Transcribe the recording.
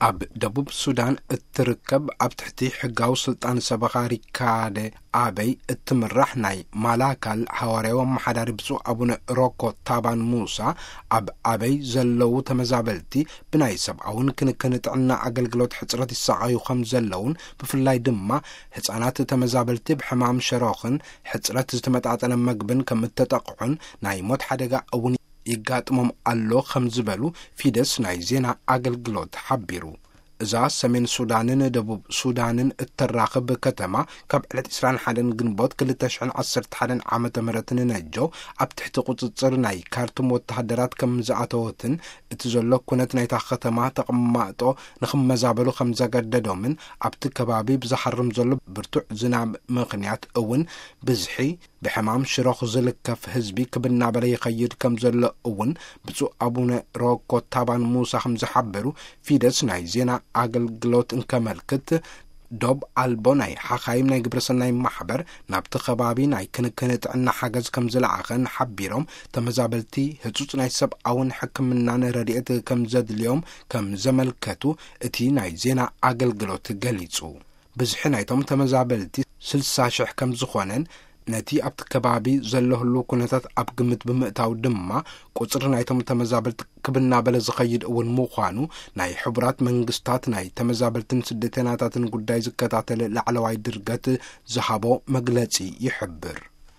ኣብ ደቡብ ሱዳን እትርከብ ኣብ ትሕቲ ሕጋዊ ስልጣን ሰበኻ ሪካደ ኣበይ እትምራሕ ናይ ማላካል ሃዋርያዊ ኣመሓዳሪ ብፁዕ ኣቡነ ሮኮ ታባን ሙሳ፣ ኣብ ኣበይ ዘለዉ ተመዛበልቲ ብናይ ሰብኣውን ክንክን ጥዕና ኣገልግሎት ሕጽረት ይሰቓዩ ከም ዘለውን፣ ብፍላይ ድማ ህጻናት ተመዛበልቲ ብሕማም ሸሮኽን ሕጽረት ዝተመጣጠነ መግብን ከም እተጠቕዑን ናይ ሞት ሓደጋ እውን ይጋጥሞም ኣሎ ከም ዝበሉ ፊደስ ናይ ዜና ኣገልግሎት ሓቢሩ። እዛ ሰሜን ሱዳንን ደቡብ ሱዳንን እተራኽብ ከተማ ካብ ዕለት ዕስራን ሓደን ግንቦት ክልተ ሽሕን ዓሰርተ ሓደን ዓመተ ምህረት ንነጀው ኣብ ትሕቲ ቁጽጽር ናይ ካርቱም ወተሃደራት ከም ዝኣተወትን እቲ ዘሎ ኩነት ናይታ ከተማ ተቐማጦ ንኽመዛበሉ ከም ዘገደዶምን ኣብቲ ከባቢ ብዝሃርም ዘሎ ብርቱዕ ዝናብ ምኽንያት እውን ብዝሒ ብሕማም ሽሮኽ ዝልከፍ ህዝቢ ክብ እናበለ ይኸይድ ከም ዘሎ እውን ብፁዕ ኣቡነ ሮኮ ታባን ሙሳ ከም ዝሓበሩ ፊደስ ናይ ዜና ኣገልግሎት እንከመልክት፣ ዶብ ኣልቦ ናይ ሓኻይም ናይ ግብረሰናይ ማሕበር ናብቲ ከባቢ ናይ ክንክን ጥዕና ሓገዝ ከም ዝለኣኸን ሓቢሮም፣ ተመዛበልቲ ህጹጽ ናይ ሰብኣውን ሕክምናን ረድኤት ከም ዘድልዮም ከም ዘመልከቱ እቲ ናይ ዜና ኣገልግሎት ገሊጹ። ብዝሒ ናይቶም ተመዛበልቲ ስልሳ ሽሕ ከም ዝኾነን፣ ነቲ ኣብቲ ከባቢ ዘሎ ህልው ኩነታት ኣብ ግምት ብምእታው ድማ፣ ቁጽሪ ናይቶም ተመዛበልቲ ክብ እናበለ ዝኸይድ እውን ምዃኑ ናይ ሕቡራት መንግስታት ናይ ተመዛበልትን ስደተኛታትን ጉዳይ ዝከታተል ላዕለዋይ ድርገት ዝሃቦ መግለጺ ይሕብር።